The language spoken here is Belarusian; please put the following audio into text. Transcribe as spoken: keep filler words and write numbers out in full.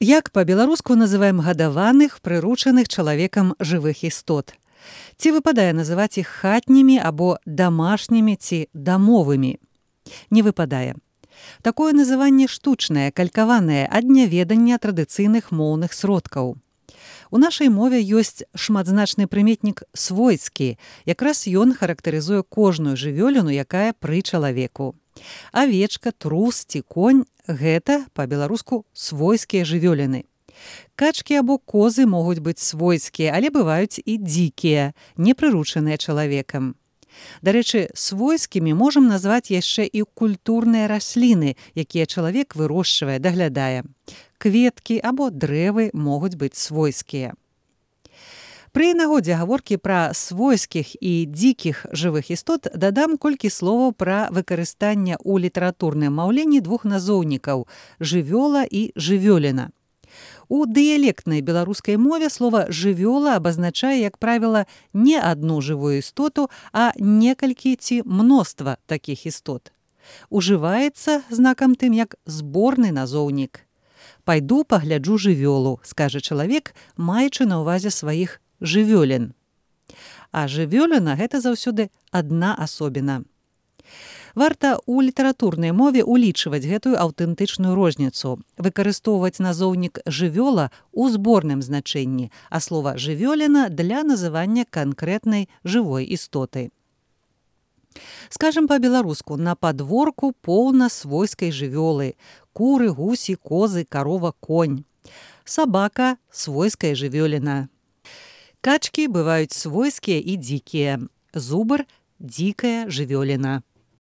Як па-беларуску называем гадаваных, прыручаных чалавекам жывых істот? Ці выпадае называць іх хатнімі або дамашнімі ці дамовымі? Не выпадае. Такое называнне штучнае, калькаванае ад няведання традыцыйных моўных сродкаў. У нашай мове ёсць шматзначны прыметнік «свойскі». Якраз ён характарызуе кожную жывёліну, якая пры чалавеку. Авечка, трус ці конь – гэта, па-беларуску, свойскія жывёліны. Качкі або козы могуць быць свойскія, але бываюць і дзікія, не прыручаныя чалавекам. Дарэчы, свойскімі можам назваць яшчэ і культурныя расліны, якія чалавек вырошчвае, даглядае. Кветкі або дрэвы могуць быць свойскія. Пры нагодзе гаворкі пра свойскіх і дзікіх жывых істот дадам колькі словаў пра выкарыстанне ў літаратурным маўленні двух назоўнікаў – жывёла і жывёліна. У дыялектнай беларускай мове слова «жывёла» абазначае, як правіла, не адну жывую істоту, а некалькі ці мноства такіх істот. Ужываецца знакам тым, як зборны назоўнік. «Пайду пагляджу жывёлу», скажа чалавек, маючы на ўвазе сваіх жывёлін. А жывёліна – гэта заўсёды адна асобіна. Варта ў літаратурнай мове улічваць гэтую аўтэнтычную розніцу, выкарыстоўваць назоўнік «жывёла» у зборным значэнні, а слова «жывёліна» для называння канкрэтнай жывой істоты. Скажам па-беларуску, на падворку поўна свойскай жывёлы – куры, гусі, козы, карова, конь. Сабака – свойская жывёліна. Качкі бываюць свойскія і дзікія. Зубр – дзікая жывёліна.